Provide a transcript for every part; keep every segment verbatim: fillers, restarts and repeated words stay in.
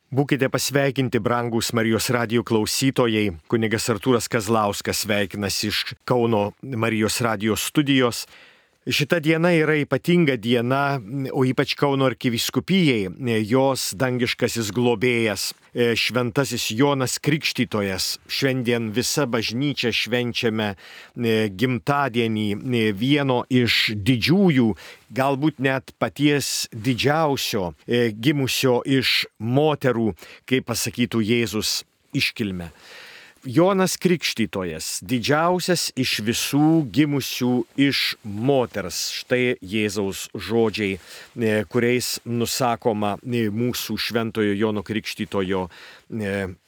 Būkite pasveikinti, brangūs Marijos radijo klausytojai. Kunigas Artūras Kazlauskas sveikinasi iš Kauno Marijos radijo studijos. Šita diena yra ypatinga diena, o ypač Kauno arkivyskupijai. Jos dangiškasis globėjas, šventasis Jonas Krikštytojas. Šiandien visa bažnyčia švenčiame gimtadienį vieno iš didžiųjų, galbūt net paties didžiausio, gimusio iš moterų, kaip pasakytų Jėzus, iškilmę. Jonas Krikštytojas, didžiausias iš visų gimusių iš moters. Štai Jėzaus žodžiai, kuriais nusakoma mūsų šventojo Jono Krikštytojo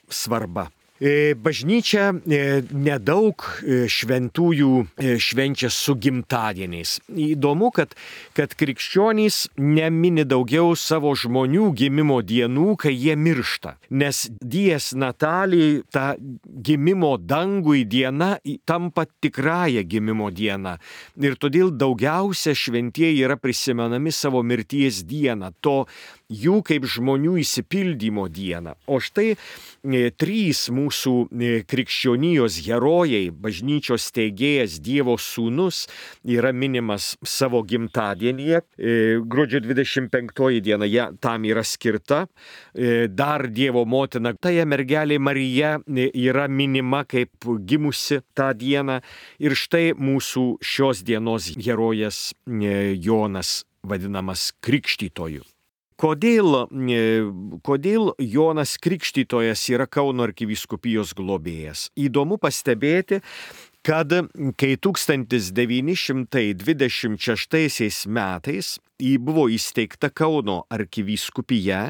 svarba. Bažnyčia nedaug šventųjų švenčia su gimtadieniais. Įdomu, kad, kad krikščionys nemini daugiau savo žmonių gimimo dienų, kai jie miršta. Nes dies natalijai ta gimimo dangui diena tampa tikrąją gimimo dieną. Ir todėl daugiausia šventieji yra prisimenami savo mirties dieną. To jų kaip žmonių įsipildymo dieną. O štai e, trys mūsų e, krikščionijos herojai, bažnyčios steigėjas Dievo sūnus, yra minimas savo gimtadienyje. E, gruodžio dvidešimt penktoji diena ja, tam yra skirta. E, dar Dievo motina, tai mergelė Marija e, yra minima kaip gimusi tą dieną. Ir štai mūsų šios dienos herojas e, Jonas, vadinamas Krikštytoju. Kodėl, kodėl Jonas Krikštytojas yra Kauno arkivyskupijos globėjas? Įdomu pastebėti, kad kai tūkstantis devyni šimtai dvidešimt šeštaisiais metais buvo įsteigta Kauno arkivyskupija,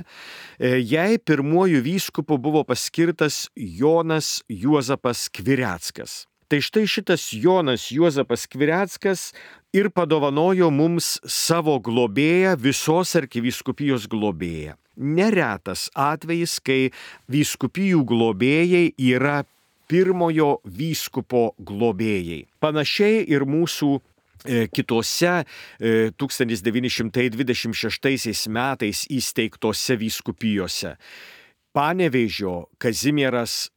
jai pirmuoju vyskupu buvo paskirtas Jonas Juozapas Skvireckas. Tai štai šitas Jonas Juozapas Skvireckas ir padovanojo mums savo globėją, visos arkivyskupijos globėją. Neretas atvejis, kai vyskupijų globėjai yra pirmojo vyskupo globėjai. Panašiai ir mūsų e, kitose e, tūkstantis devyni šimtai dvidešimt šeštaisiais metais įsteigtose vyskupijose. Panevėžio Kazimieras,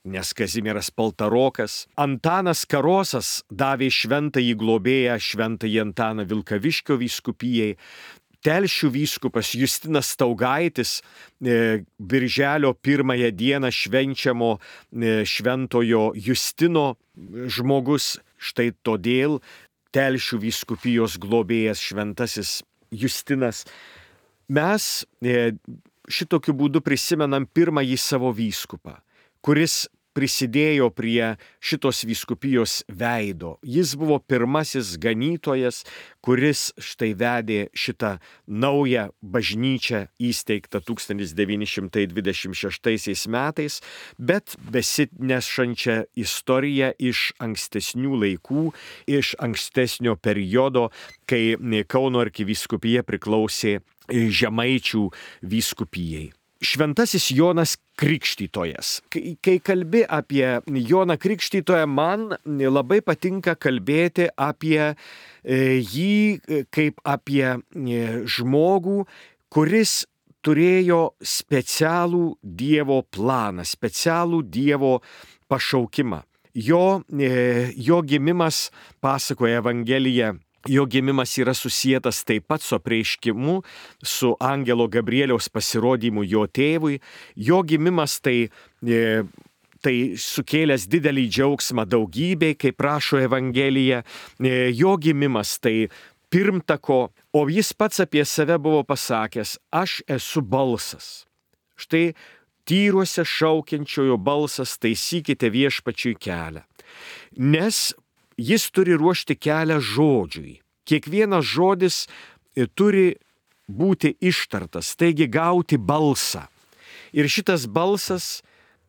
nes Kazimieras Paltarokas, Antanas Karosas davė šventąjį globėją šventąjį Antaną Vilkaviškio vyskupijai, Telšių vyskupas Justinas Staugaitis, e, birželio pirmąją dieną švenčiamo e, šventojo Justino žmogus, štai todėl Telšių vyskupijos globėjas šventasis Justinas. Mes e, šitokiu būdu prisimenam pirmąjį savo vyskupą, kuris prisidėjo prie šitos vyskupijos veido. Jis buvo pirmasis ganytojas, kuris štai vedė šitą naują bažnyčią įsteigtą tūkstantis devyni šimtai dvidešimt šeštaisiais metais, bet besinešančią istoriją iš ankstesnių laikų, iš ankstesnio periodo, kai Kauno arkivyskupija priklausė Žemaičių vyskupijai. Šventasis Jonas Krikštytojas. Kai, kai kalbi apie Joną Krikštytoją, man labai patinka kalbėti apie jį kaip apie žmogų, kuris turėjo specialų Dievo planą, specialų Dievo pašaukimą. Jo, jo gimimas, pasakoja Evangelija, jo gimimas yra susietas taip pat su apreiškimu, su angelo Gabrieliaus pasirodymu jo tėvui. Jo gimimas tai, e, tai sukėlęs didelį džiaugsmą daugybei, kaip rašo Evangelija. E, jo gimimas tai pirmtako, o jis pats apie save buvo pasakęs: aš esu balsas. Štai tyruose šaukiančiojo balsas, taisykite viešpačiui kelią. Nes jis turi ruošti kelią žodžiui. Kiekvienas žodis turi būti ištartas, taigi gauti balsą. Ir šitas balsas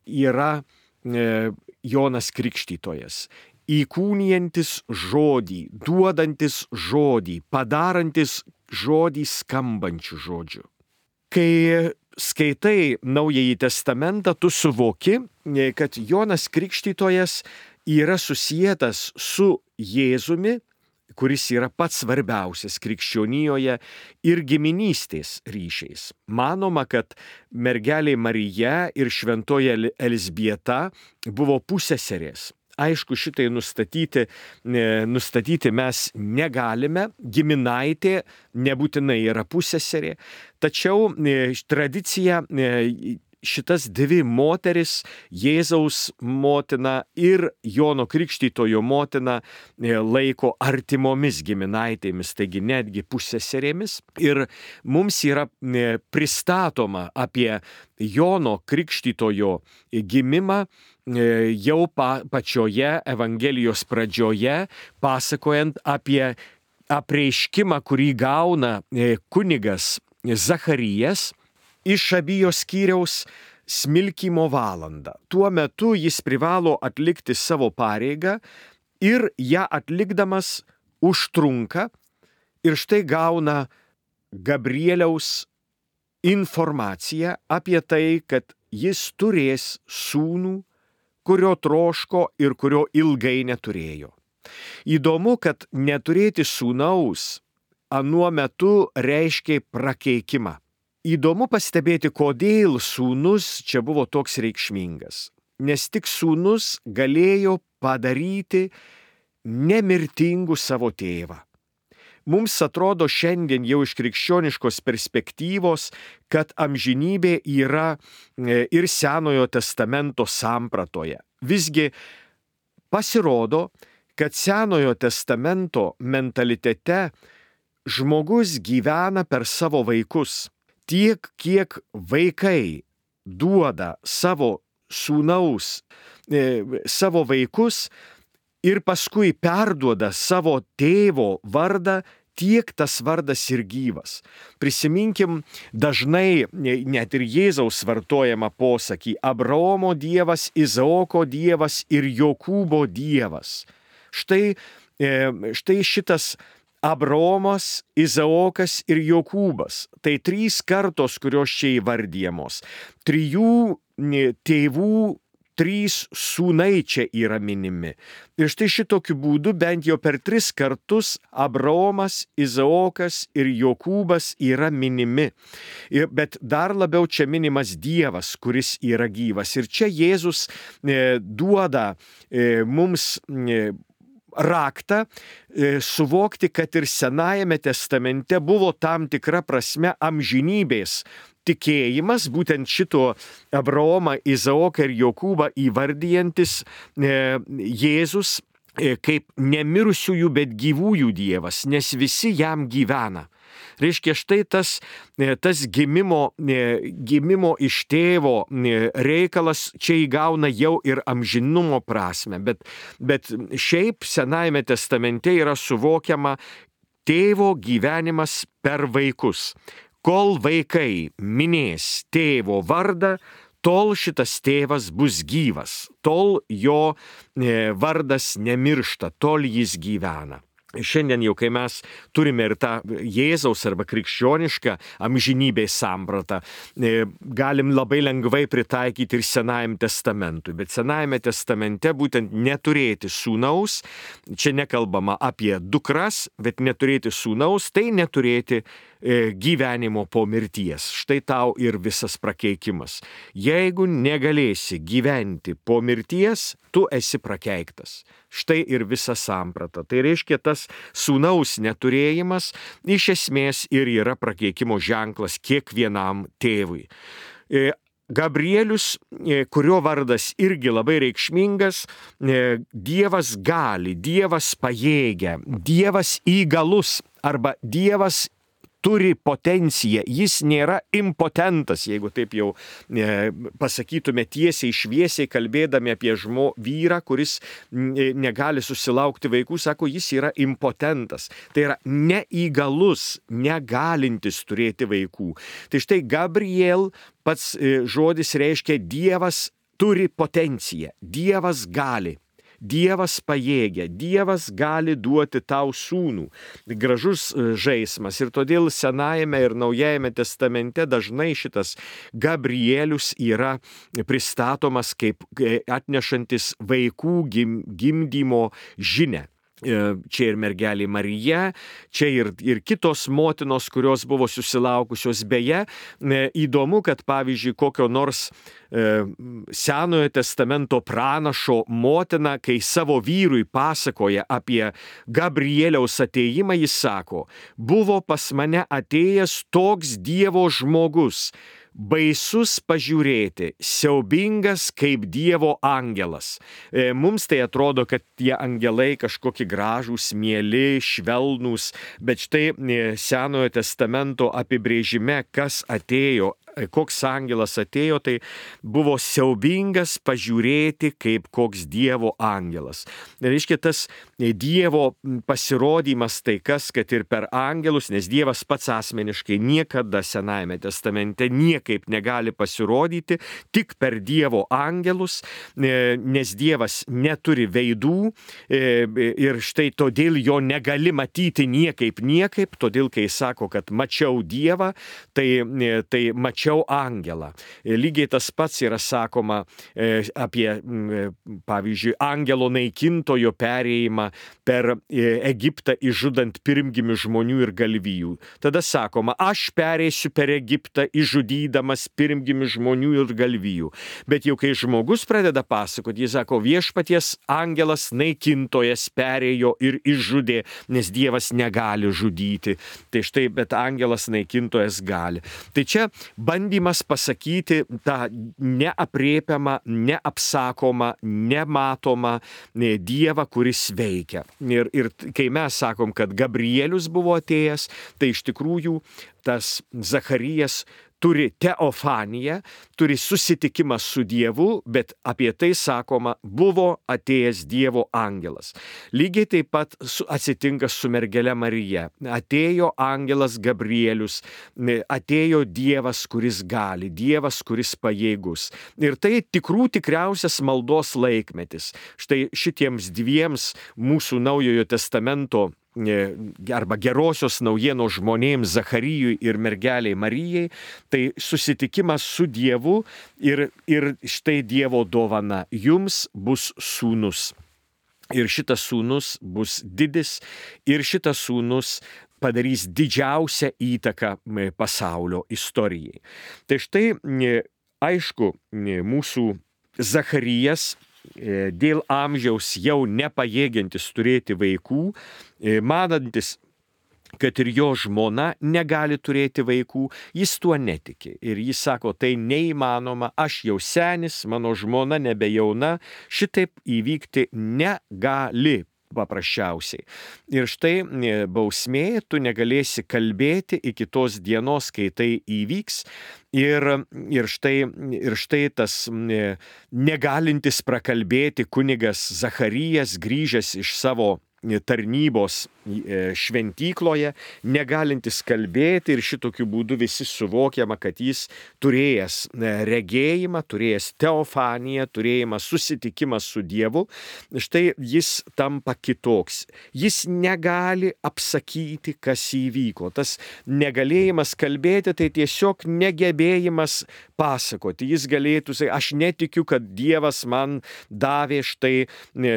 yra e, Jonas Krikštytojas. Įkūnijantis žodį, duodantis žodį, padarantis žodį skambančių žodžių. Kai skaitai Naująjį testamentą, tu suvoki, kad Jonas Krikštytojas yra susietas su Jėzumi, kuris yra pats svarbiausias krikščionijoje ir giminystės ryšiais. Manoma, kad mergelė Marija ir šventoji Elzbieta buvo pusseserės. Aišku, šitai nustatyti, nustatyti mes negalime, giminaitė nebūtinai yra pusseserė, tačiau tradicija šitas dvi moteris, Jėzaus motina ir Jono Krikštytojo motina, laiko artimomis giminaitėmis, taigi netgi pusseserėmis. Ir mums yra pristatoma apie Jono Krikštytojo gimimą jau pa, pačioje Evangelijos pradžioje, pasakojant apie apreiškimą, kurį gauna kunigas Zacharijas iš Abijos skyriaus smilkymo valandą. Tuo metu jis privalo atlikti savo pareigą ir ją atlikdamas užtrunka ir štai gauna Gabrieliaus informaciją apie tai, kad jis turės sūnų, kurio troško ir kurio ilgai neturėjo. Įdomu, kad neturėti sūnaus anuo metu reiškia prakeikimą. Įdomu pastebėti, kodėl sūnus čia buvo toks reikšmingas. Nes tik sūnus galėjo padaryti nemirtingų savo tėvą. Mums atrodo šiandien jau iš krikščioniškos perspektyvos, kad amžinybė yra ir Senojo testamento sampratoje. Visgi pasirodo, kad Senojo testamento mentalitete žmogus gyvena per savo vaikus. Tiek, kiek vaikai duoda savo sūnaus, e, savo vaikus ir paskui perduoda savo tėvo vardą, tiek tas vardas ir gyvas. Prisiminkim dažnai net ir Jėzaus vartojamą posakį: Abraomo Dievas, Izaoko Dievas ir Jokūbo Dievas. Štai, štai šitas Abraomas, Izaokas ir Jokūbas. Tai trys kartos, kurios čia įvardyjamos. Trijų tėvų trys sūnai čia yra minimi. Ir štai šitokiu būdu bent jau per tris kartus Abraomas, Izaokas ir Jokūbas yra minimi. Bet dar labiau čia minimas Dievas, kuris yra gyvas. Ir čia Jėzus e, duoda e, mums e, raktą e, suvokti, kad ir Senajame testamente buvo tam tikra prasme amžinybės tikėjimas, būtent šito Abraomą, Izaoką ir Jokūbą įvardijantis e, Jėzus e, kaip nemirusiųjų, bet gyvųjų Dievas, nes visi jam gyvena. Reiškia, štai tas, tas gimimo, gimimo iš tėvo reikalas čia įgauna jau ir amžinumo prasme, bet, bet šiaip Senajame testamente yra suvokiama tėvo gyvenimas per vaikus. Kol vaikai minės tėvo vardą, tol šitas tėvas bus gyvas, tol jo vardas nemiršta, tol jis gyvena. Šiandien jau, kai mes turime ir tą Jėzaus arba krikščionišką amžinybės sampratą, galim labai lengvai pritaikyti ir Senajam testamentui. Bet Senajame testamente būtent neturėti sūnaus, čia nekalbama apie dukras, bet neturėti sūnaus, tai neturėti gyvenimo po mirties. Štai tau ir visas prakeikimas. Jeigu negalėsi gyventi po mirties, tu esi prakeiktas. Štai ir visa samprata. Tai reiškia, tas sūnaus neturėjimas iš esmės ir yra prakeikimo ženklas kiekvienam tėvui. Gabrielius, kurio vardas irgi labai reikšmingas, Dievas gali, Dievas pajėgia, Dievas įgalus arba Dievas turi potenciją, jis nėra impotentas, jeigu taip jau e, pasakytume tiesiai, šviesiai, kalbėdami apie žmo vyrą, kuris negali susilaukti vaikų, sako, jis yra impotentas. Tai yra neįgalus, negalintis turėti vaikų. Tai štai Gabriel pats e, žodis reiškia Dievas turi potenciją, Dievas gali. Dievas pajėgia, Dievas gali duoti tau sūnų. Gražus žaismas ir todėl Senajame ir Naujajame testamente dažnai šitas Gabrielius yra pristatomas kaip atnešantis vaikų gim, gimdymo žinią. Čia ir mergelė Marija, čia ir, ir kitos motinos, kurios buvo susilaukusios. Beje, įdomu, kad pavyzdžiui, kokio nors e, Senojo testamento pranašo motina, kai savo vyrui pasakoja apie Gabrieliaus atėjimą, jis sako, buvo pas mane atėjęs toks Dievo žmogus, baisus pažiūrėti, siaubingas kaip Dievo angelas. E, mums tai atrodo, kad tie angelai kažkokie gražūs, mieli, švelnūs, bet štai e, Senojo testamento apibrėžime, kas atėjo, koks angelas atėjo, tai buvo siaubingas pažiūrėti kaip koks Dievo angelas. Reiškia, tas Dievo pasirodymas tai kas, kad ir per angelus, nes Dievas pats asmeniškai niekada Senajame testamente niekaip negali pasirodyti, tik per Dievo angelus, nes Dievas neturi veidų ir štai todėl jo negali matyti niekaip niekaip, todėl kai sako, kad mačiau Dievą, tai, tai mačiau angelą. Lygiai tas pats yra sakoma apie, pavyzdžiui, angelo naikintojo perėjimą per Egiptą išžudant pirmgimių žmonių ir galvijų. Tada sakoma, aš perėsiu per Egiptą išžudydamas pirmgimių žmonių ir galvijų. Bet jau kai žmogus pradeda pasakoti, jis sako, viešpaties angelas naikintojas perėjo ir išžudė, nes Dievas negali žudyti. Tai štai, bet angelas naikintojas gali. Tai čia bandymas pasakyti tą neaprėpiamą, neapsakomą, nematomą Dievą, kuris veikia. Ir, ir kai mes sakom, kad Gabrielius buvo atėjęs, tai iš tikrųjų tas Zacharijas turi teofaniją, turi susitikimą su Dievu, bet apie tai sakoma, buvo atėjęs Dievo angelas. Lygiai taip pat atsitinka su mergele Marija. Atėjo angelas Gabrielius, atėjo Dievas, kuris gali, Dievas, kuris pajėgus. Ir tai tikrų tikriausias maldos laikmetis. Štai šitiems dviems mūsų Naujojo testamento arba gerosios naujienos žmonėms Zacharijui ir mergeliai Marijai, tai susitikimas su Dievu ir, ir štai Dievo dovana. Jums bus sūnus. Ir šitas sūnus bus didis ir šitas sūnus padarys didžiausią įtaką pasaulio istorijai. Tai štai, aišku, mūsų Zacharijas dėl amžiaus jau nepajėgiantis turėti vaikų, manantis, kad ir jo žmona negali turėti vaikų, jis tuo netiki. Ir jis sako, tai neįmanoma, aš jau senis, mano žmona nebejauna, šitaip įvykti negali. Paprasčiausiai. Ir štai bausmė, tu negalėsi kalbėti iki tos dienos, kai tai įvyks. Ir, ir, štai, ir štai tas negalintis prakalbėti kunigas Zacharijas, grįžęs iš savo tarnybos šventykloje, negalintis kalbėti ir šitokiu būdu visi suvokiama, kad jis turėjęs regėjimą, turėjęs teofaniją, turėjimą susitikimą su Dievu, štai jis tampa kitoks. Jis negali apsakyti, kas įvyko. Tas negalėjimas kalbėti, tai tiesiog negebėjimas pasakoti. Jis galėtų sakyti, aš netikiu, kad Dievas man davė štai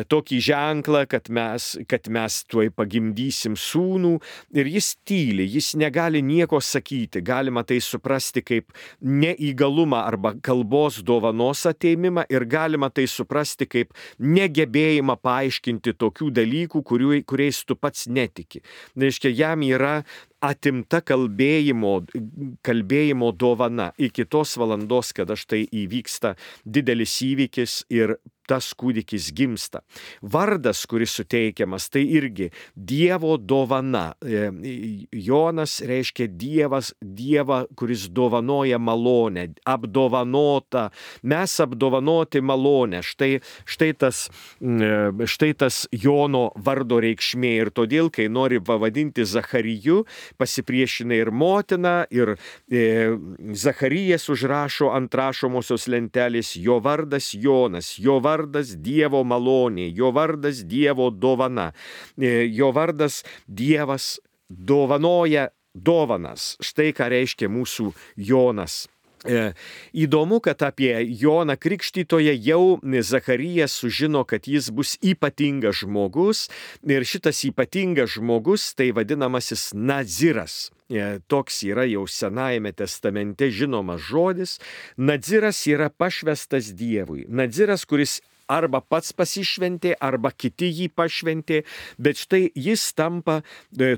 tokį ženklą, kad mes, kad mes tuoj pagimdysim sūnų, ir jis tyli, jis negali nieko sakyti. Galima tai suprasti kaip neįgalumą arba kalbos dovanos ateimimą, ir galima tai suprasti kaip negebėjimą paaiškinti tokių dalykų, kurių, kuriais tu pats netiki. Reiškia, jam yra atimta kalbėjimo, kalbėjimo dovana iki tos valandos, kada štai įvyksta didelis įvykis ir tas kūdikis gimsta. Vardas, kuris suteikiamas, tai irgi Dievo dovana. Jonas reiškia Dievas, Dievą, kuris dovanoja malonę, apdovanota. Mes apdovanoti malonę. Štai, štai, tas, štai tas Jono vardo reikšmė. Ir todėl, kai nori pavadinti Zachariju, pasipriešina ir motina, ir e, Zacharijas užrašo ant rašomosios lentelės, jo vardas Jonas, jo vardas Dievo malonė, jo vardas Dievo dovana, e, jo vardas Dievas dovanoja dovanas. Štai ką reiškia mūsų Jonas. Įdomu, kad apie Joną Krikštytoją jau Zacharijas sužino, kad jis bus ypatingas žmogus ir šitas ypatingas žmogus tai vadinamasis Naziras. Toks yra jau Senajame testamente žinomas žodis. Naziras yra pašvestas Dievui. Naziras, kuris arba pats pasišventė, arba kiti jį pašventė, bet štai jis tampa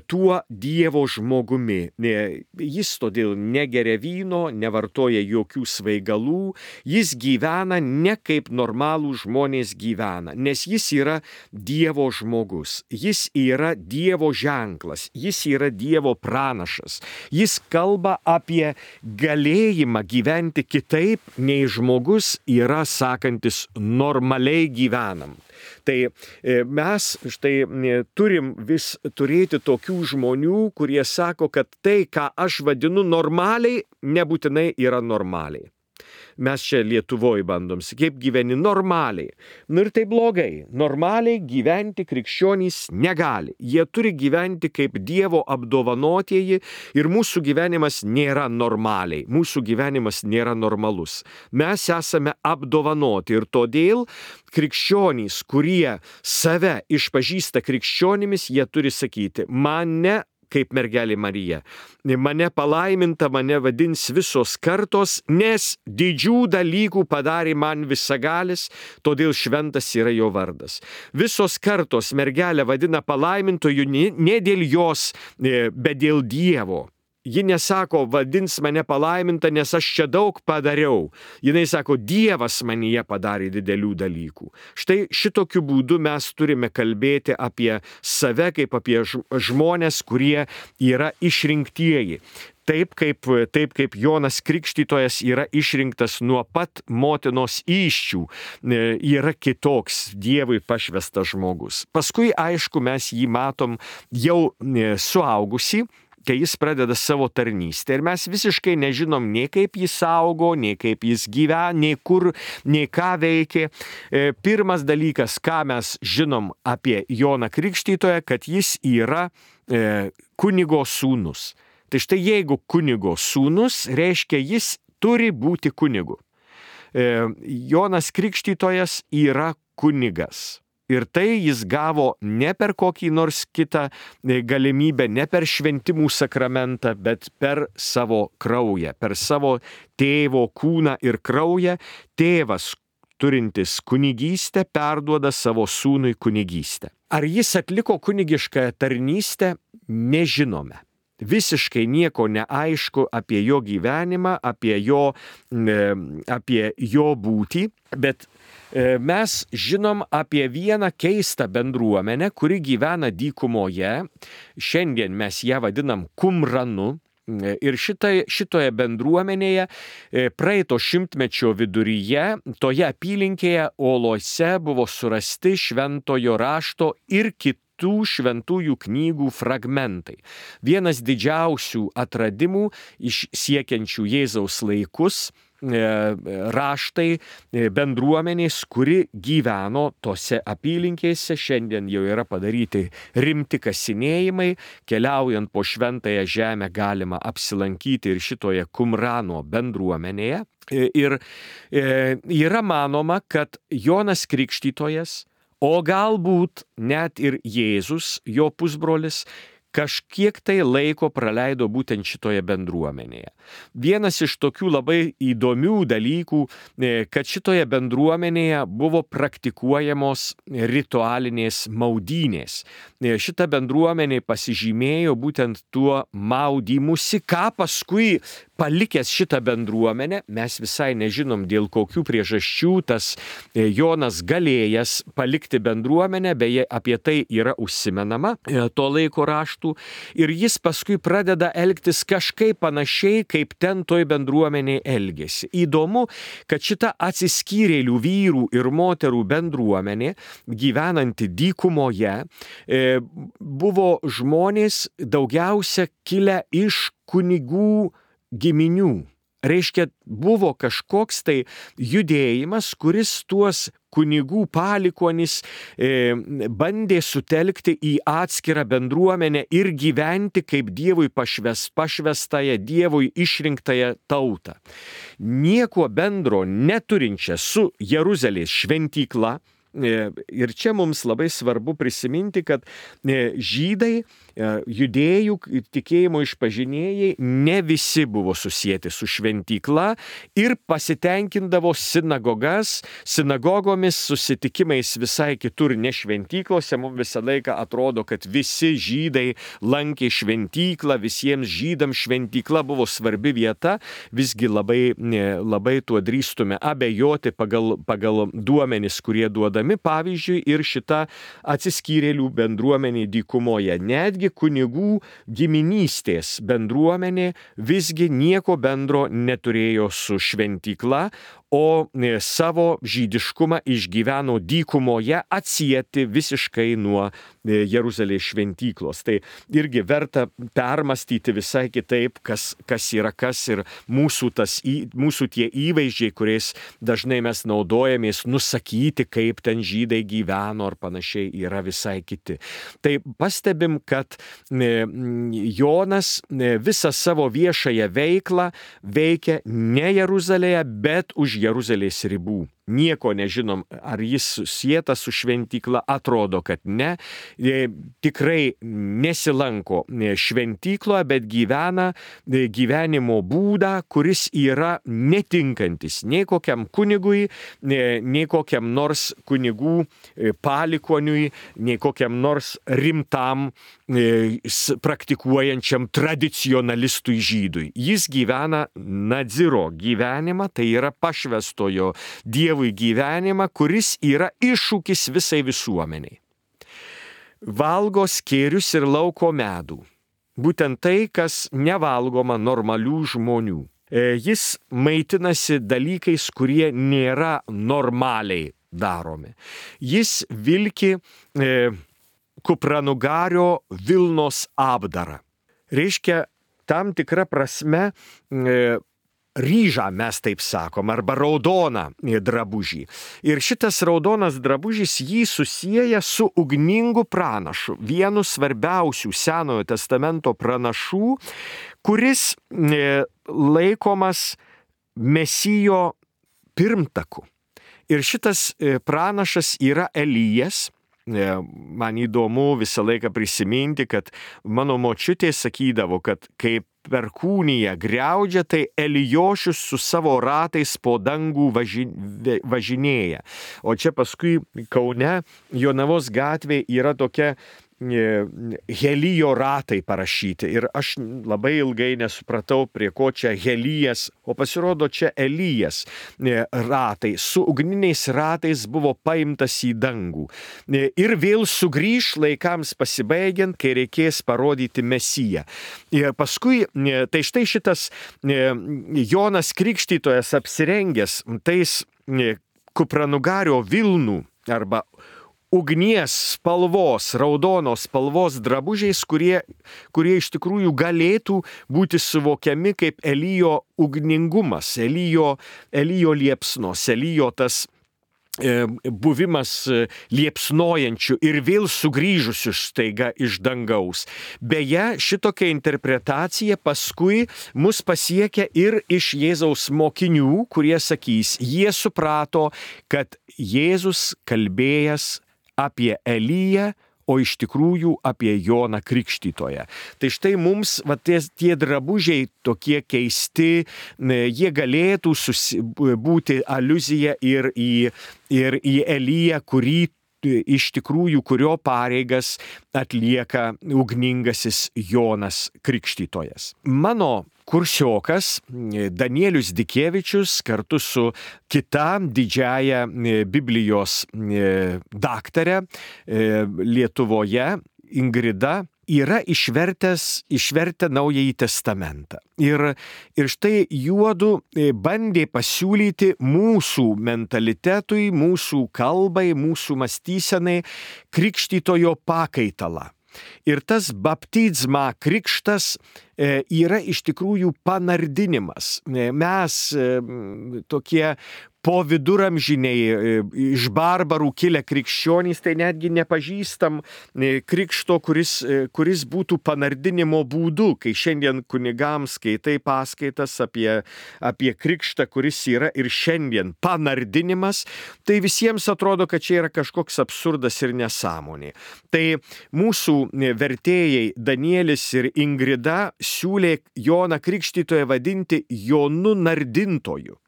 tuo Dievo žmogumi. Jis todėl negeria vyno, nevartoja jokių svaigalų, jis gyvena ne kaip normalų žmonės gyvena, nes jis yra Dievo žmogus, jis yra Dievo ženklas, jis yra Dievo pranašas, jis kalba apie galėjimą gyventi kitaip, nei žmogus yra sakantis normaliai gyvenam. Tai mes štai turim vis turėti tokių žmonių, kurie sako, kad tai, ką aš vadinu normaliai, nebūtinai yra normaliai. Mes čia Lietuvoje bandom, kaip gyveni normaliai. Nu ir tai blogai. Normaliai gyventi krikščionys negali. Jie turi gyventi kaip Dievo apdovanotieji ir mūsų gyvenimas nėra normaliai. Mūsų gyvenimas nėra normalus. Mes esame apdovanoti ir todėl krikščionys, kurie save išpažįsta krikščionimis, jie turi sakyti, mane kaip mergelė Marija. Mane palaiminta, mane vadins visos kartos, nes didžių dalykų padarė man visagalis, todėl šventas yra jo vardas. Visos kartos mergelę vadina palaimintoju ne dėl jos, bet dėl Dievo. Ji nesako, vadins mane palaiminta, nes aš čia daug padariau. Jinai sako, Dievas manyje padarė didelių dalykų. Štai šitokiu būdu mes turime kalbėti apie save, kaip apie žmonės, kurie yra išrinktieji. Taip kaip, taip kaip Jonas Krikštytojas yra išrinktas nuo pat motinos įsčių, yra kitoks Dievui pašvestas žmogus. Paskui, aišku, mes jį matom jau suaugusį, kai jis pradeda savo tarnystę ir mes visiškai nežinom nei kaip jis augo, nei kaip jis gyvena, nei kur, nei ką veikė. Pirmas dalykas, ką mes žinom apie Joną Krikštytoją, kad jis yra e, kunigo sūnus. Tai štai jeigu kunigo sūnus, reiškia jis turi būti kunigu. E, Jonas Krikštytojas yra kunigas. Ir tai jis gavo ne per kokį nors kitą galimybę, ne per šventimų sakramentą, bet per savo kraują, per savo tėvo kūną ir kraują. Tėvas, turintis kunigystę, perduoda savo sūnui kunigystę. Ar jis atliko kunigišką tarnystę? Nežinome. Visiškai nieko neaišku apie jo gyvenimą, apie jo, apie jo būtį, bet mes žinom apie vieną keistą bendruomenę, kuri gyvena dykumoje. Šiandien mes ją vadinam Kumranu. Ir šitai, šitoje bendruomenėje praeito šimtmečio viduryje, toje apylinkėje Olose buvo surasti šventojo rašto ir kitų tų šventųjų knygų fragmentai. Vienas didžiausių atradimų iš siekiančių Jėzaus laikus raštai bendruomenės, kuri gyveno tose apylinkėse. Šiandien jau yra padaryti rimti kasinėjimai. Keliaujant po šventąją žemę galima apsilankyti ir šitoje Kumrano bendruomenėje. Ir yra manoma, kad Jonas Krikštytojas, o galbūt net ir Jėzus, jo pusbrolis, kažkiek tai laiko praleido būtent šitoje bendruomenėje. Vienas iš tokių labai įdomių dalykų, kad šitoje bendruomenėje buvo praktikuojamos ritualinės maudynės. Šita bendruomenė pasižymėjo būtent tuo maudymusi, ką paskui palikęs šitą bendruomenę, mes visai nežinom dėl kokių priežasčių tas Jonas galėjęs palikti bendruomenę, beje apie tai yra užsimenama to laiko raštų, ir jis paskui pradeda elgtis kažkaip panašiai, kaip ten toj bendruomenėje elgėsi. Įdomu, kad šita atsiskyrėlių vyrų ir moterų bendruomenė, gyvenanti dykumoje, buvo žmonės daugiausia kilę iš kunigų giminių Reiškia, buvo kažkoks tai judėjimas, kuris tuos kunigų palikuonis e, bandė sutelkti į atskirą bendruomenę ir gyventi kaip Dievui pašves, pašvestąją, Dievui išrinktąją tautą. Nieko bendro neturinčią su Jeruzalės šventykla. Ir čia mums labai svarbu prisiminti, kad žydai, judėjų tikėjimo išpažinėjai ne visi buvo susijęti su šventykla ir pasitenkindavo sinagogas, sinagogomis, susitikimais visai kitur, ne šventyklose. Mums visą laiką atrodo, kad visi žydai lankė šventyklą, visiems žydams šventykla buvo svarbi vieta, visgi labai, labai tuo drįstume abejoti pagal, pagal duomenis, kurie duoda. Pavyzdžiui, ir šita atsiskyrėlių bendruomenė dykumoje. Netgi kunigų giminystės bendruomenė visgi nieko bendro neturėjo su šventykla, o savo žydiškumą išgyveno dykumoje, atsieti visiškai nuo Jeruzalės šventyklos. Tai irgi verta permastyti visai kitaip, kas, kas yra kas, ir mūsų, tas, mūsų tie įvaizdžiai, kuriais dažnai mes naudojamės, nusakyti, kaip ten žydai gyveno ar panašiai, yra visai kiti. Tai pastebim, kad Jonas visą savo viešąją veiklą veikia ne Jeruzalėje, bet už Jeruzalės ribų. Nieko nežinom, ar jis susietas su šventykla, atrodo, kad ne. Tikrai nesilanko šventykloje, bet gyvena gyvenimo būdą, kuris yra netinkantis nei kokiam kunigui, nei kokiam nors kunigų palikoniui, nei kokiam nors rimtam praktikuojančiam tradicionalistui žydui. Jis gyvena nadziro gyvenimą, tai yra pašvestojo Dievui gyvenimą, kuris yra iššūkis visai visuomeniai. Valgo skėrius ir lauko medų. Būtent tai, kas nevalgoma normalių žmonių. Jis maitinasi dalykais, kurie nėra normaliai daromi. Jis vilki e, kupranugario Vilnos apdarą. Reiškia, tam tikra prasme e, ryžą, mes taip sakom, arba raudoną drabužį. Ir šitas raudonas drabužis jį susieja su ugningu pranašu, vienu svarbiausių Senojo testamento pranašų, kuris laikomas Mesijo pirmtaku. Ir šitas pranašas yra Elijas. Man įdomu visą laiką prisiminti, kad mano močiutė sakydavo, kad kaip perkūnija griaudžia, tai Elijošius su savo ratais po dangų važinėja. O čia paskui Kaune, Jonavos gatvėje yra tokia Helijo ratai parašyti. Ir aš labai ilgai nesupratau, prie ko čia Helijas, o pasirodo čia Elijas ratai. Su ugniniais ratais buvo paimtas į dangų. Ir vėl sugrįž laikams pasibaigiant, kai reikės parodyti Mesiją. Ir paskui, tai štai šitas Jonas Krikštytojas apsirengęs tais kupranugario vilnų arba ugnies spalvos, raudonos spalvos drabužiais, kurie, kurie iš tikrųjų galėtų būti suvokiami kaip Elijo ugningumas, Elijo, Elijo liepsnos, Elijo tas e, buvimas liepsnojančių ir vėl sugrįžusių staiga iš dangaus. Beje, šitokia interpretacija paskui mus pasiekia ir iš Jėzaus mokinių, kurie sakys, jie suprato, kad Jėzus kalbėjęs apie Eliją, o iš tikrųjų apie Joną Krikštytoją. Tai štai mums va, tie, tie drabužiai tokie keisti, jie galėtų susi, būti aliuzija ir į, ir į Eliją, kurį iš tikrųjų, kurio pareigas atlieka ugningasis Jonas Krikštytojas. Mano kursiokas Danielius Dikevičius kartu su kita didžiaja Biblijos daktare Lietuvoje, Ingrida, yra išvertęs, išvertę Naująjį testamentą. Ir, ir štai juodu bandė pasiūlyti mūsų mentalitetui, mūsų kalbai, mūsų mąstysenai Krikštytojo pakaitalą. Ir tas baptizma krikštas yra iš tikrųjų panardinimas. Mes tokie po viduramžiniai iš barbarų kilę krikščionys, tai netgi nepažįstam krikšto, kuris, kuris būtų panardinimo būdu, kai šiandien kunigams skaitai paskaitas apie, apie krikštą, kuris yra ir šiandien panardinimas, tai visiems atrodo, kad čia yra kažkoks absurdas ir nesąmonė. Tai mūsų vertėjai Danielis ir Ingrida siūlė Joną Krikštytoją vadinti Jonu Nardintoju.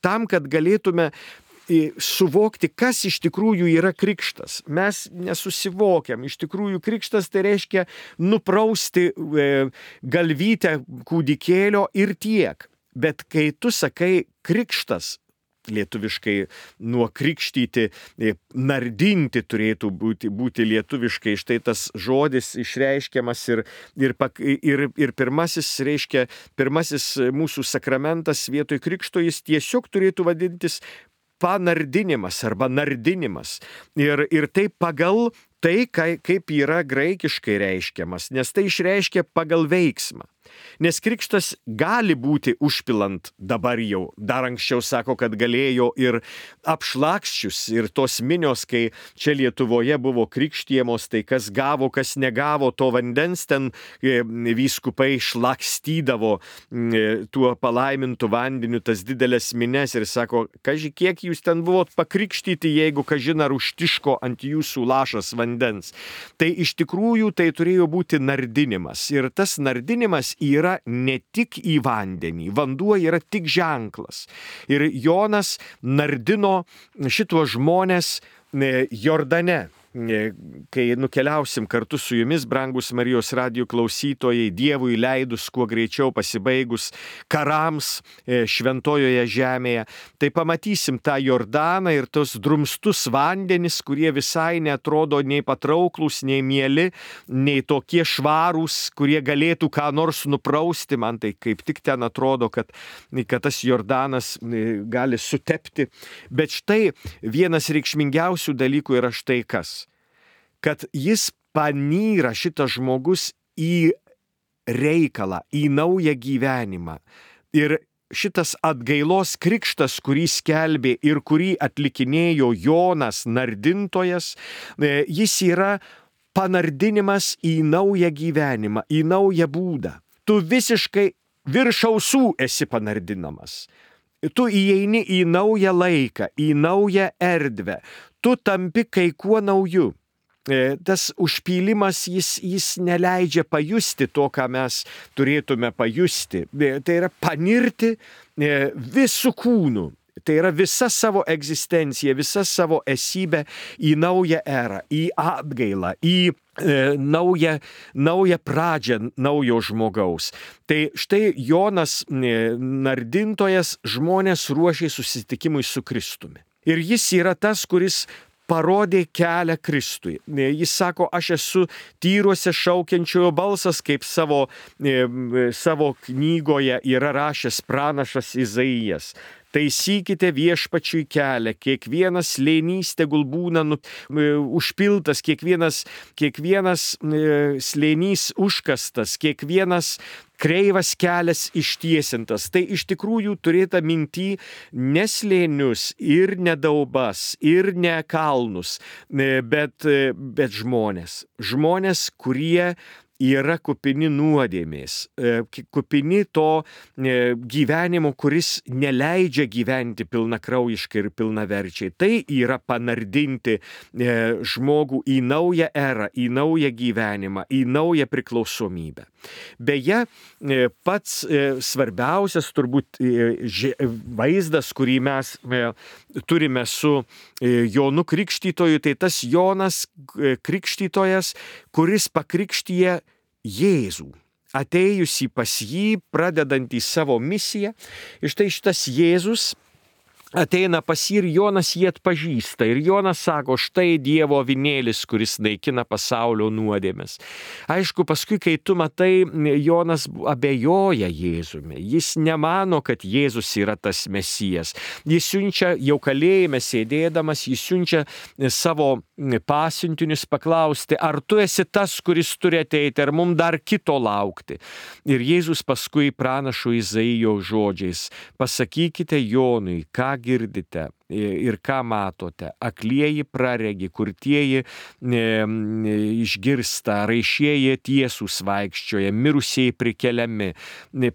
Tam, kad galėtume suvokti, kas iš tikrųjų yra krikštas. Mes nesusivokiam. Iš tikrųjų, krikštas tai reiškia nuprausti galvytę kūdikėlio ir tiek. Bet kai tu sakai krikštas, lietuviškai nuo krikštyti, nardinti turėtų būti, būti lietuviškai. Štai tas žodis išreiškiamas ir, ir, ir, ir pirmasis, reiškia, pirmasis mūsų sakramentas vietoj krikšto, jis tiesiog turėtų vadintis panardinimas arba nardinimas. Ir, ir tai pagal tai, kaip yra graikiškai reiškiamas, nes tai išreiškia pagal veiksmą. Nes krikštas gali būti užpilant dabar jau, dar anksčiau sako, kad galėjo ir apšlakščius, ir tos minios, kai čia Lietuvoje buvo krikštijamos, tai kas gavo, kas negavo to vandens, ten vyskupai šlakstydavo tuo palaimintu vandeniu tas didelės mines ir sako, kaži, kiek jūs ten buvot pakrikštyti, jeigu kažin ar užtiško ant jūsų lašas vandens. Tai iš tikrųjų tai turėjo būti nardinimas. Ir tas nardinimas yra ne tik į vandenį, vanduo yra tik ženklas. Ir Jonas nardino šituos žmonės Jordane. Kai nukeliausim kartu su jumis, brangus Marijos radijo klausytojai, Dievui leidus kuo greičiau pasibaigus karams šventojoje žemėje, tai pamatysim tą Jordaną ir tos drumstus vandenis, kurie visai neatrodo nei patrauklus, nei mieli, nei tokie švarūs, kurie galėtų ką nors nuprausti. Man tai kaip tik ten atrodo, kad, kad tas Jordanas gali sutepti. Bet štai vienas reikšmingiausių dalykų yra štai kas. Kad jis panyra, šitas žmogus, į reikalą, į naują gyvenimą. Ir šitas atgailos krikštas, kurį skelbė ir kurį atlikinėjo Jonas Nardintojas, jis yra panardinimas į naują gyvenimą, į naują būdą. Tu visiškai virš ausų esi panardinamas. Tu įeini į naują laiką, į naują erdvę. Tu tampi kai kuo nauju. Tas užpylimas, jis, jis neleidžia pajusti to, ką mes turėtume pajusti. Tai yra panirti visų kūnų. Tai yra visa savo egzistencija, visa savo esybė į naują erą, į atgailą, į e, naują, naują pradžią naujo žmogaus. Tai štai Jonas Nardintojas žmonės ruošė susitikimui su Kristumi. Ir jis yra tas, kuris parodė kelią Kristui. Jis sako, aš esu tyruose šaukiančiojo balsas, kaip savo, savo knygoje yra rašęs pranašas Izaijas. Taisykite viešpačiui kelią, kiekvienas slėnys tegul būna nu, užpiltas, kiekvienas, kiekvienas slėnys užkastas, kiekvienas kreivas kelias ištiesintas. Tai iš tikrųjų turėta minty ne slėnius ir ne daubas ir ne kalnus, bet, bet žmonės. Žmonės, kurie yra kupini nuodėmės, kupini to gyvenimo, kuris neleidžia gyventi pilnakraujiškai ir pilnaverčiai. Tai yra panardinti žmogų į naują erą, į naują gyvenimą, į naują priklausomybę. Beje, pats svarbiausias turbūt vaizdas, kurį mes turime su Jonu Krikštytoju, tai tas Jonas Krikštytojas, kuris pakrikštija Jėzų, atėjusį pas jį, pradedantį savo misiją. Ir štai šitas Jėzus ateina pas jį ir Jonas jį atpažįsta. Ir Jonas sako, štai Dievo avinėlis, kuris naikina pasaulio nuodėmes. Aišku, paskui, kai tu matai, Jonas abejoja Jėzumi. Jis nemano, kad Jėzus yra tas Mesijas. Jis siunčia, jau kalėjime sėdėdamas, jis siunčia savo pasiuntinius paklausti, ar tu esi tas, kuris turi ateiti, ar mums dar kito laukti. Ir Jėzus paskui pranašo Izaijo žodžiais, pasakykite Jonui, ką girdite ir ką matote. Aklieji praregi, kurtieji e, išgirsta, raišieji tiesūs vaikščioja, mirusieji prikeliami.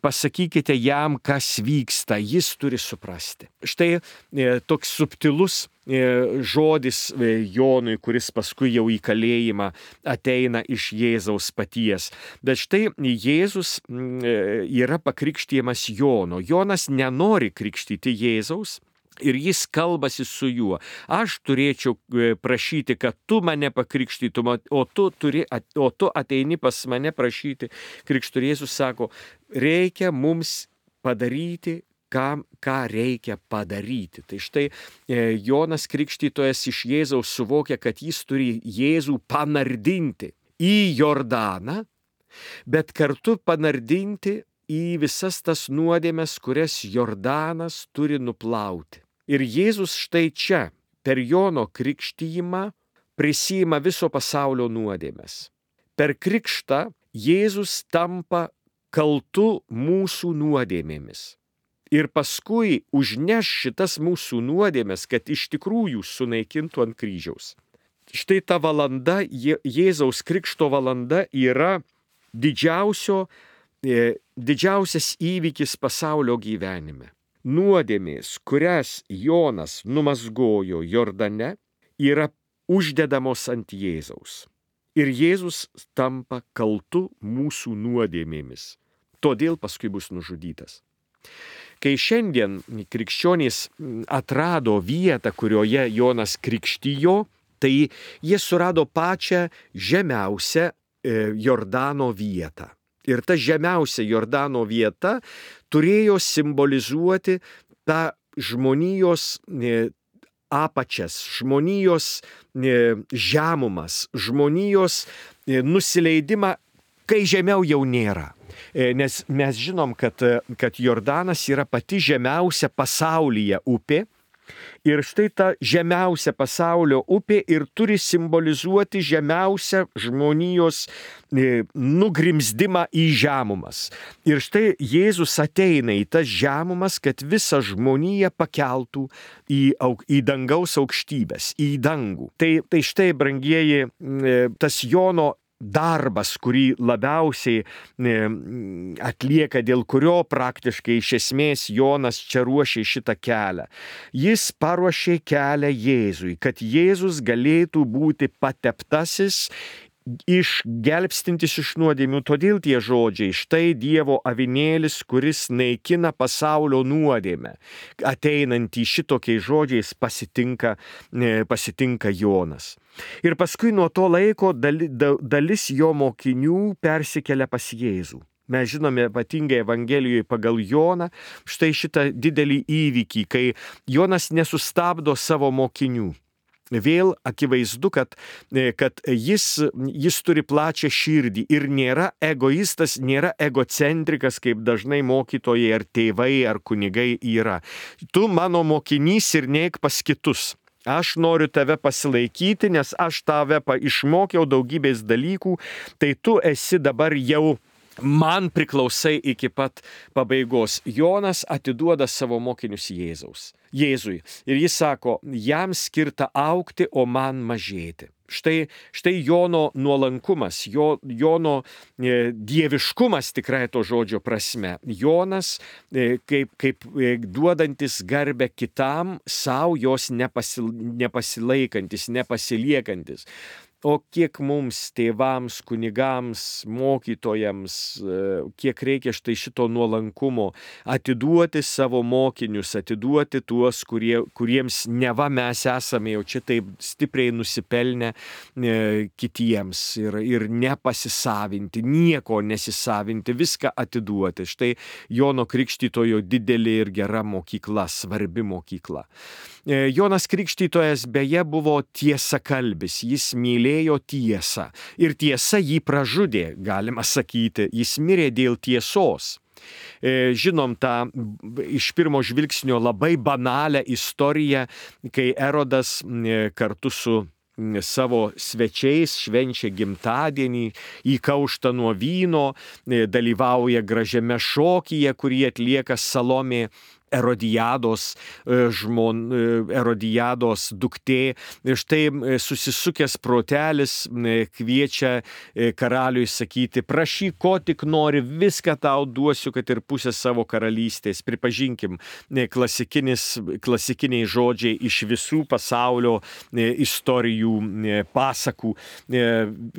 Pasakykite jam, kas vyksta, jis turi suprasti. Štai e, toks subtilus e, žodis e, Jonui, kuris paskui jau į kalėjimą ateina iš Jėzaus paties. Bet štai Jėzus e, yra pakrikštijamas Jono. Jonas nenori krikštyti Jėzaus. Ir jis kalbasi su juo. Aš turėčiau prašyti, kad tu mane pakrikštytum, o tu, turi, o tu ateini pas mane prašyti krikšto. Jėzus sako, reikia mums padaryti, ką, ką reikia padaryti. Tai štai Jonas Krikštytojas iš Jėzaus suvokia, kad jis turi Jėzų panardinti į Jordaną, bet kartu panardinti į visas tas nuodėmes, kurias Jordanas turi nuplauti. Ir Jėzus štai čia, per Jono krikštijimą, prisiima viso pasaulio nuodėmes. Per krikštą Jėzus tampa kaltu mūsų nuodėmėmis. Ir paskui užneš šitas mūsų nuodėmes, kad iš tikrųjų sunaikintų ant kryžiaus. Štai ta valanda, Jėzaus krikšto valanda yra didžiausio, didžiausias įvykis pasaulio gyvenime. Nuodėmės, kurias Jonas numazgojo Jordane, yra uždedamos ant Jėzaus. Ir Jėzus tampa kaltu mūsų nuodėmėmis. Todėl paskui bus nužudytas. Kai šiandien krikščionys atrado vietą, kurioje Jonas krikštijo, tai jie surado pačią žemiausią Jordano vietą. Ir ta žemiausia Jordano vieta turėjo simbolizuoti tą žmonijos apačias, žmonijos žemumas, žmonijos nusileidimą, kai žemiau jau nėra. Nes mes žinom, kad, kad Jordanas yra pati žemiausia pasaulyje upė. Ir štai ta žemiausia pasaulio upė ir turi simbolizuoti žemiausią žmonijos nugrimzdimą į žemumas. Ir štai Jėzus ateina į tas žemumas, kad visą žmoniją pakeltų į, į dangaus aukštybės, į dangų. Tai, tai štai, brangieji, tas Jono darbas, kurį labiausiai atlieka, dėl kurio praktiškai iš esmės Jonas čia ruošė šitą kelią. Jis paruošė kelią Jėzui, kad Jėzus galėtų būti pateptasis, išgelbstintis iš nuodėmių. Todėl tie žodžiai, štai Dievo avinėlis, kuris naikina pasaulio nuodėmę. Ateinantį šitokiais žodžiais pasitinka, pasitinka Jonas. Ir paskui nuo to laiko dalis jo mokinių persikelia pas Jėzų. Mes žinome ypatingai Evangelijoje pagal Joną štai šitą didelį įvykį, kai Jonas nesustabdo savo mokinių. Vėl akivaizdu, kad, kad jis, jis turi plačią širdį ir nėra egoistas, nėra egocentrikas, kaip dažnai mokytojai ar tėvai ar kunigai yra. Tu mano mokinys ir neik pas kitus. Aš noriu tave pasilaikyti, nes aš tave išmokiau daugybės dalykų, tai tu esi dabar jau man priklausai iki pat pabaigos. Jonas atiduoda savo mokinius Jėzaus. Jėzui. Ir jis sako, jam skirta augti, o man mažėti. Štai, štai Jono nuolankumas, jo, Jono e, dieviškumas tikrai to žodžio prasme. Jonas e, kaip, kaip e, duodantis garbę kitam, savo jos nepasil, nepasilaikantis, nepasiliekantis. O kiek mums, tėvams, kunigams, mokytojams, kiek reikia štai šito nuolankumo atiduoti savo mokinius, atiduoti tuos, kurie, kuriems neva mes esame jau čia taip stipriai nusipelnę e, kitiems ir, ir nepasisavinti, nieko nesisavinti, viską atiduoti. Štai Jono Krikštytojo didelė ir gera mokykla, svarbi mokykla. E, Jonas Krikštytojas beje buvo tiesakalbis, jis mylėjo tiesą ir tiesa jį pražudė, galima sakyti, jis mirė dėl tiesos. Žinom tą iš pirmo žvilgsnio labai banalią istoriją, kai Erodas kartu su savo svečiais švenčia gimtadienį, įkaušta nuo vyno, dalyvauja gražiame šokyje, kurį atlieka Salomė, Erodijados žmon, Erodijados duktė. Štai susisukęs protelis kviečia karaliui sakyti, prašyk, ko tik nori, viską tau duosiu, kad ir pusę savo karalystės. Pripažinkim, klasikiniai žodžiai iš visų pasaulio istorijų, pasakų.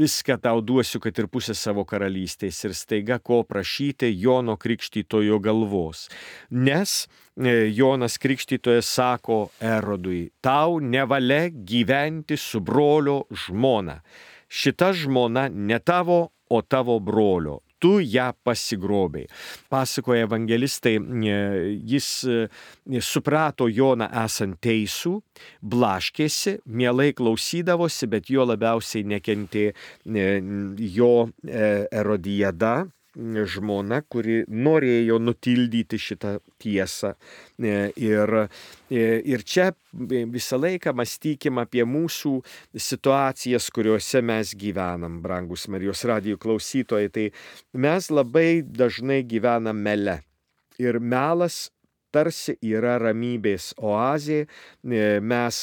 Viską tau duosiu, kad ir pusę savo karalystės. Ir staiga ko prašyti Jono Krikštytojo galvos. Nes Jonas Krikštytojas sako Erodui, tau nevalia gyventi su brolio žmona. Šita žmona ne tavo, o tavo brolio. Tu ją pasigrobei. Pasakoja evangelistai, jis suprato Joną esant teisų, blaškėsi, mielai klausydavosi, bet jo labiausiai nekentė jo Erodijada, žmona, kuri norėjo nutildyti šitą tiesą. Ir, ir čia visą laiką mąstykim apie mūsų situacijas, kuriuose mes gyvenam, brangus Marijos radijo klausytojai. Tai mes labai dažnai gyvenam mele. Ir melas tarsi yra ramybės oazė, mes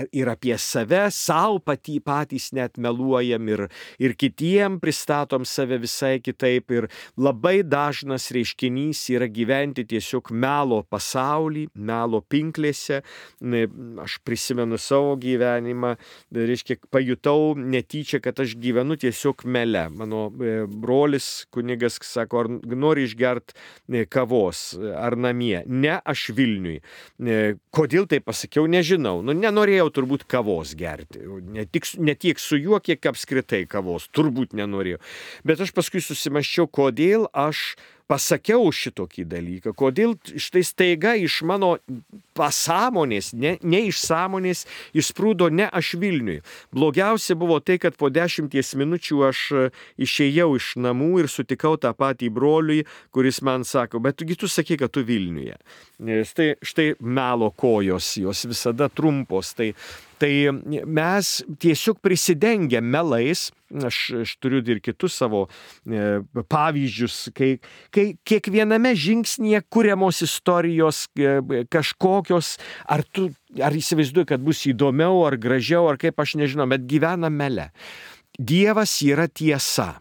ir apie save, savo patį, patys net meluojam ir, ir kitiem pristatom save visai kitaip. Ir labai dažnas reiškinys yra gyventi tiesiog melo pasaulį, melo pinklėse. Aš prisimenu savo gyvenimą, reiškia, pajutau netyčia, kad aš gyvenu tiesiog mele. Mano brolis kunigas sako, ar nori išgerti kavos, ar namie. Ne, aš Vilniui. Kodėl tai pasakiau, nežinau. Nu, nenorėjau turbūt kavos gerti. Ne, tik, ne tiek su juo, kiek apskritai kavos. Turbūt nenorėjau. Bet aš paskui susimaščiau, kodėl aš pasakiau šitokį dalyką, kodėl štai staiga iš mano pasąmonės, ne, ne iš sąmonės, išsprūdo ne aš Vilniui. Blogiausia buvo tai, kad po dešimties minučių aš išėjau iš namų ir sutikau tą patį broliui, kuris man sako, bet tu, tu sakai, kad tu Vilniuje. Štai, štai melo kojos, jos visada trumpos. Tai, tai mes tiesiog prisidengę melais. Aš, aš turiu ir kitus savo e, pavyzdžius, kai, kai kiekviename žingsnyje kuriamos istorijos e, kažkokios, ar tu, ar įsivaizduoji, kad bus įdomiau, ar gražiau, ar kaip aš nežinau, bet gyvena mele. Dievas yra tiesa,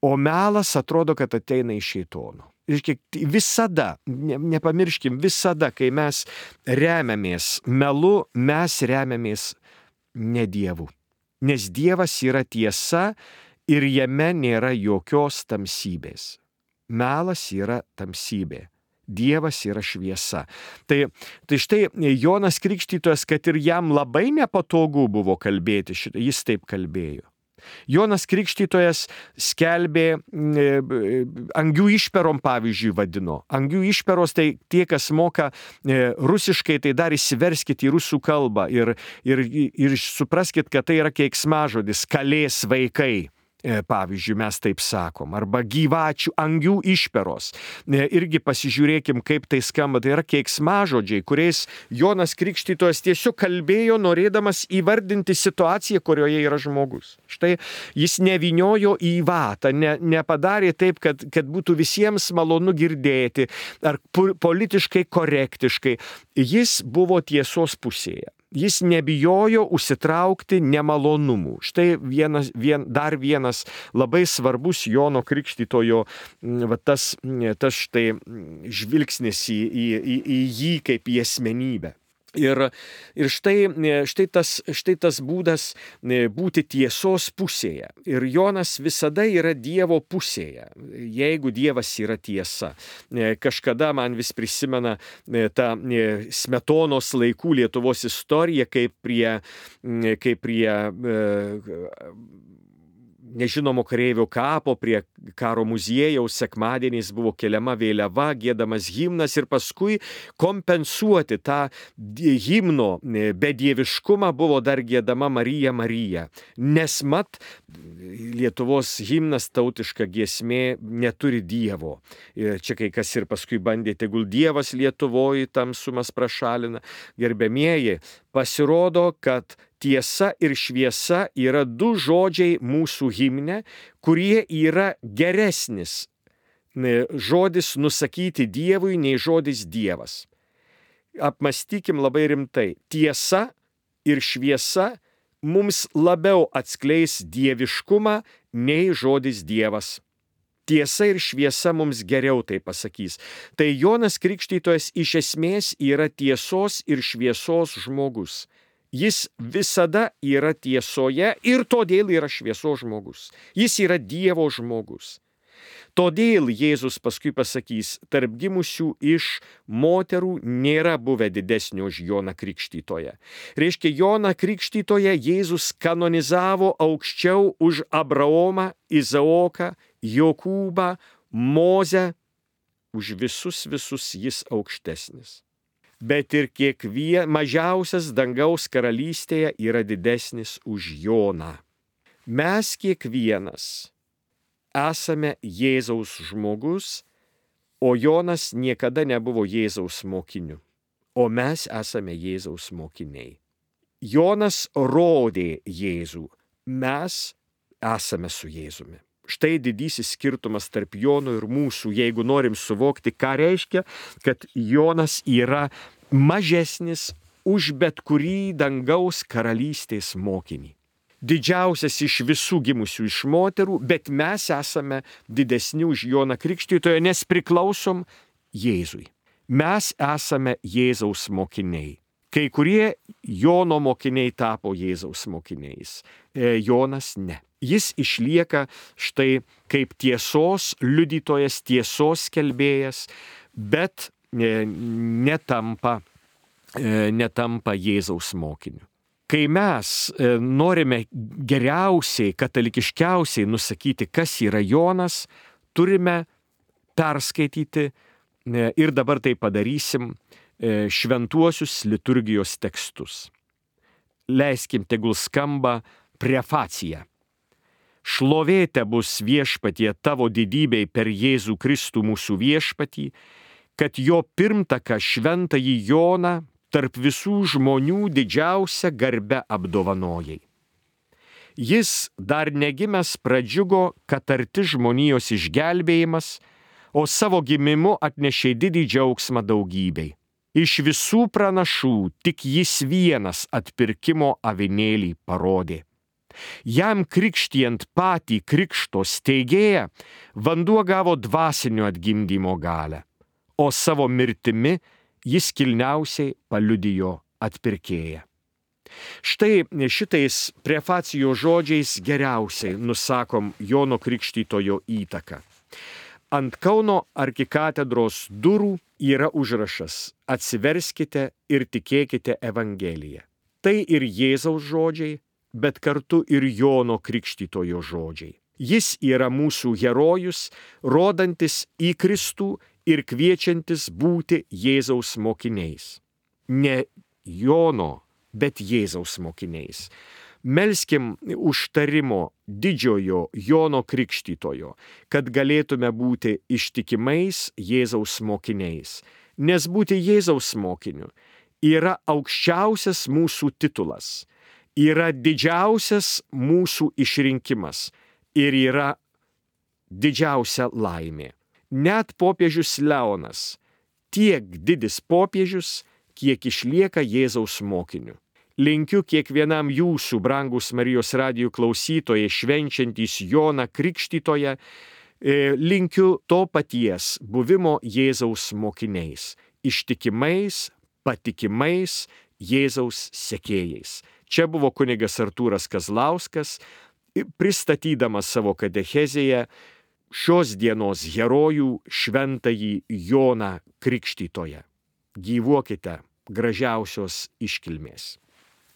o melas atrodo, kad ateina iš šėtono. Visada, ne, nepamirškim, visada, kai mes remiamės melu, mes remiamės ne Dievu. Nes Dievas yra tiesa ir jame nėra jokios tamsybės. Melas yra tamsybė. Dievas yra šviesa. Tai, tai štai Jonas Krikštytojas, kad ir jam labai nepatogu buvo kalbėti šitą, jis taip kalbėjo. Jonas Krikštytojas skelbė, angių išperom pavyzdžiui vadino. Angių išperos tai tie, kas moka rusiškai, tai dar įsiverskit į rusų kalbą ir, ir, ir supraskit, kad tai yra keiksmažodis, kalės vaikai. Pavyzdžiui, mes taip sakom, arba gyvačių angių išperos. Irgi pasižiūrėkim, kaip tai skamba. Tai yra keiksmažodžiai, kuriais Jonas Krikštytojas tiesiog kalbėjo, norėdamas įvardinti situaciją, kurioje yra žmogus. Štai jis nevyniojo į vatą, ne, nepadarė taip, kad, kad būtų visiems malonu girdėti, ar politiškai korektiškai. Jis buvo tiesos pusėje. Jis nebijojo užsitraukti nemalonumų. Štai vienas, vien, dar vienas labai svarbus Jono Krikštytojo va, tas, tas štai žvilgsnis į, į, į, į jį kaip į asmenybę. Ir, ir štai, štai, tas, štai tas būdas būti tiesos pusėje. Ir Jonas visada yra Dievo pusėje, jeigu Dievas yra tiesa. Kažkada man vis prisimena tą Smetonos laikų Lietuvos istoriją, kaip prie, kaip prie nežinomo kareivio kapo prie karo muziejaus sekmadieniais buvo keliama vėliava, giedamas himnas ir paskui kompensuoti tą himno bedieviškumą buvo dar giedama Marija Marija. Nes mat Lietuvos himnas, tautiška giesmė, neturi Dievo. Ir čia kai kas ir paskui bandė, tegul Dievas Lietuvoje tamsumas prašalina. Gerbėmieji, pasirodo, kad tiesa ir šviesa yra du žodžiai mūsų himne, kurie yra geresnis žodis nusakyti Dievui nei žodis Dievas. Apmąstykim labai rimtai. Tiesa ir šviesa mums labiau atskleis dieviškumą nei žodis Dievas. Tiesa ir šviesa mums geriau tai pasakys. Tai Jonas Krikštytojas iš esmės yra tiesos ir šviesos žmogus. Jis visada yra tiesoje ir todėl yra šviesos žmogus. Jis yra Dievo žmogus. Todėl Jėzus paskui pasakys, tarp gimusių iš moterų nėra buvę didesnio už Joną Krikštytoją. Reiškia, Joną Krikštytoją Jėzus kanonizavo aukščiau už Abraomą, Izaoką, Jokūbą, Mozę. Už visus visus jis aukštesnis. Bet ir kiekvien mažiausias dangaus karalystėje yra didesnis už Joną. Mes kiekvienas esame Jėzaus žmogus, o Jonas niekada nebuvo Jėzaus mokiniu, o mes esame Jėzaus mokiniai. Jonas rodė Jėzų, mes esame su Jėzumi. Štai didysis skirtumas tarp Jono ir mūsų, jeigu norim suvokti, ką reiškia, kad Jonas yra mažesnis už bet kurį dangaus karalystės mokinį. Didžiausias iš visų gimusių iš moterų, bet mes esame didesni už Joną Krikštytoją, nes priklausom Jėzui. Mes esame Jėzaus mokiniai. Kai kurie Jono mokiniai tapo Jėzaus mokiniais, Jonas ne. Jis išlieka štai kaip tiesos liudytojas, tiesos skelbėjas, bet netampa, netampa Jėzaus mokiniu. Kai mes norime geriausiai, katalikiškiausiai nusakyti, kas yra Jonas, turime perskaityti ir dabar tai padarysim šventuosius liturgijos tekstus. Leiskim, tegul skamba prefacija. Šlovė tebus viešpatie tavo didybei per Jėzų Kristų mūsų viešpatį, kad jo pirmtaką šventąjį Joną tarp visų žmonių didžiausia garbe apdovanojai. Jis dar negimęs pradžiugo, kad arti žmonijos išgelbėjimas, o savo gimimu atnešė didį džiaugsmą daugybei. Iš visų pranašų tik jis vienas atpirkimo avinėlį parodė. Jam krikštijant patį krikšto steigėją, vanduo gavo dvasinio atgimdymo galią, o savo mirtimi jis kilniausiai paliudijo atpirkėją. Štai šitais prefacijos žodžiais geriausiai nusakom Jono Krikštytojo įtaką. Ant Kauno arkikatedros durų yra užrašas "Atsiverskite ir tikėkite Evangeliją". Tai ir Jėzaus žodžiai, bet kartu ir Jono Krikštytojo žodžiai. Jis yra mūsų herojus, rodantis į Kristų ir kviečiantis būti Jėzaus mokiniais. Ne Jono, bet Jėzaus mokiniais. Melskim užtarimo didžiojo Jono Krikštytojo, kad galėtume būti ištikimais Jėzaus mokiniais. Nes būti Jėzaus mokiniu yra aukščiausias mūsų titulas, yra didžiausias mūsų išrinkimas ir yra didžiausia laimė. Net popiežius Leonas, tiek didis popiežius, kiek išlieka Jėzaus mokiniu. Linkiu kiekvienam jūsų, brangus Marijos radijo klausytojai, švenčiantys Joną Krikštytoją, linkiu to paties buvimo Jėzaus mokiniais, ištikimais, patikimais Jėzaus sekėjais. Čia buvo kunigas Artūras Kazlauskas, pristatydamas savo katechezėje šios dienos herojų šventąjį Joną Krikštytoją. Gyvuokite gražiausios iškilmės.